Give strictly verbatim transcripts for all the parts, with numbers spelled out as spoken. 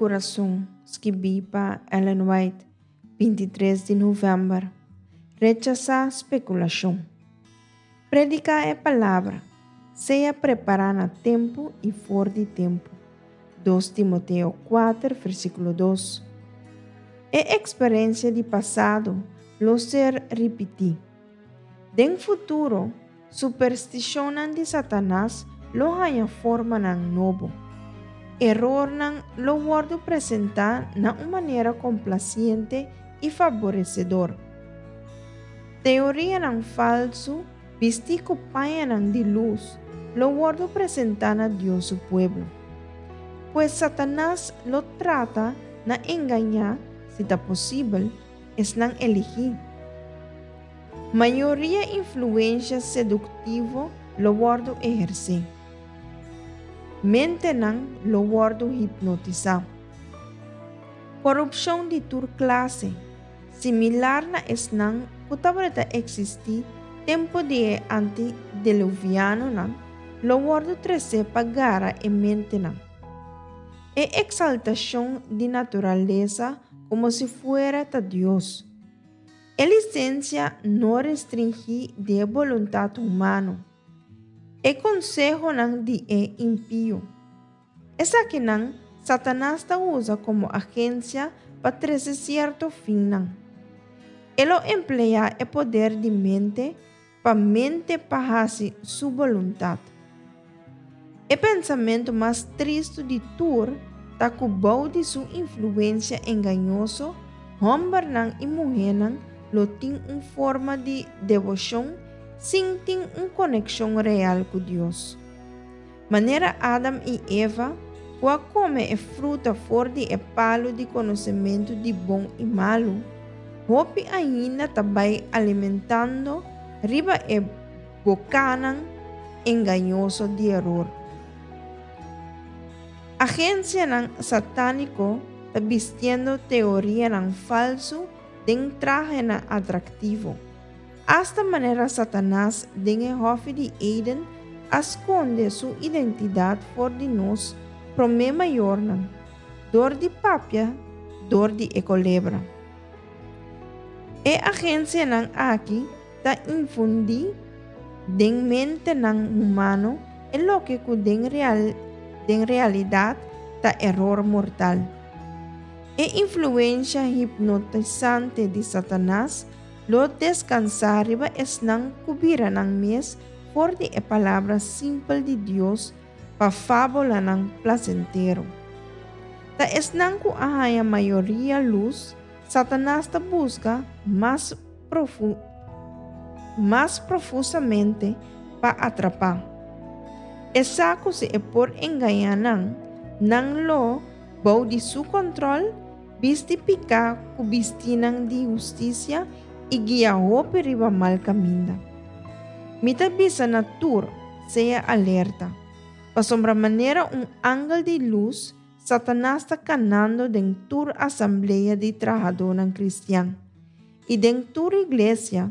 Kurason, skibí pa Ellen White, bintitres di novèmber. Rechasá spekulashon. Prediká e Palabra. Sea prepará na tempu i for di tempu. Dos Timoteo kuater, versíkulo dos. E eksperensia di pasado lo ser ripití. Den futuro, superstishonnan di Satanas lo haña formanan nobo. Erornan lo wòrdu presentá na un manera komplasiente i faboresedor. Teorianan falsu bistí ku pañanan di lus lo wòrdu presentá na Dios su pueblo. Pues Satanas lo trata na engañá, si ta posibel, esnan eligí. Mayoria influensha seduktivo lo wòrdu ehersé. Mentenan lo wòrdu hipnotisá. Korupshon di tur klase, similar na esnan ku tabata eksistí tempu di e antideluvianonan, lo wòrdu tresé pa gara e mentenan. E eksaltashon di naturalesa komo si fuera ta Dios. E lisensia no restringí di e boluntat humano. E konsehonan di e impio. Esakinan Satanas ta usa komo agensia pa trese sierto finnan. E lo empleá e poder di mente pa mente pa hasi su boluntat. E pensamentu mas tristu di tur ta ku bou di su influensia engañoso, hòmbernan i muhénan lo tin un forma di deboshon sin tin un konekshon real ku Dios. Manera Adam i Eva, ku a kome e fruta for di e palu di konosementu di bon i malu, hopi ainda ta bai alimentando riba e bokanan engañoso di eror. Agensianan satániko ta bistiendo teorianan falsu den trahenan atraktivo. Asta manera Satanas den e Hòfi di Eden a skonde su identidat for di nos promé mayornan, dor di papia dor di e kolebra. E agensianan aki ta infundí den mentenan humano e loke ku den real den realidat ta eror mortal. E influensha hipnotisante di Satanas lo deskansá riba esnan ku bira nan mes for di e palabra simpel di Dios pa fábulanan plasentero. Ta esnan ku a haña mayoria lus, Satanas ta buska mas profu mas profusamente pa atrapá. E sa ku si e por engañá nan, nan lo, bou di su kòntròl, bisti piká ku bistinan di hustisia i guia hopi riba mal kaminda. Mi ta bisa na tur, sea alerta, pasobra manera un angel di lus, Satanas ta kanando den tur asamblea di trahadónan kristian i den tur iglesia,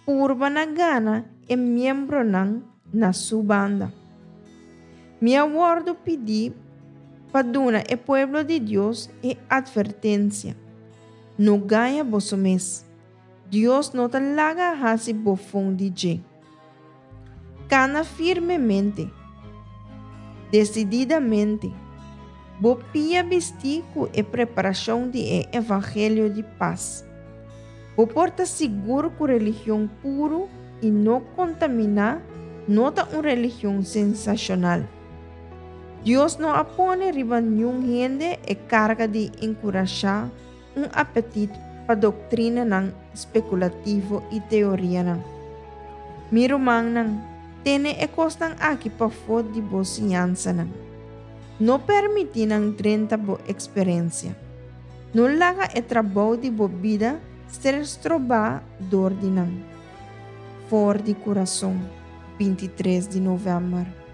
purba na gana e miembronan na su banda. Mi a wòrdu pidí pa duna e pueblo di Dios e atvertensia, No gaña boso mes. Dios no ta laga hasi bofon di dje. Kana firmemente, desididamente, bo pia bistí ku e preparashon di e evangelio di pas. Bo por ta sigur ku religion puru i no kontaminá no ta un religion sensashonal. Dios no a pone riba niun hende e karga di enkurashá un apetit pa doktrinanan spekulativo i teorianan. Mi rumannan, tene e kosnan aki pafó di bo siñansanan. No permití nan drenta bo eksperensia. No laga e trabou di bo bida ser strobá dor di nan. For di Kurason, bintitres di novèmber.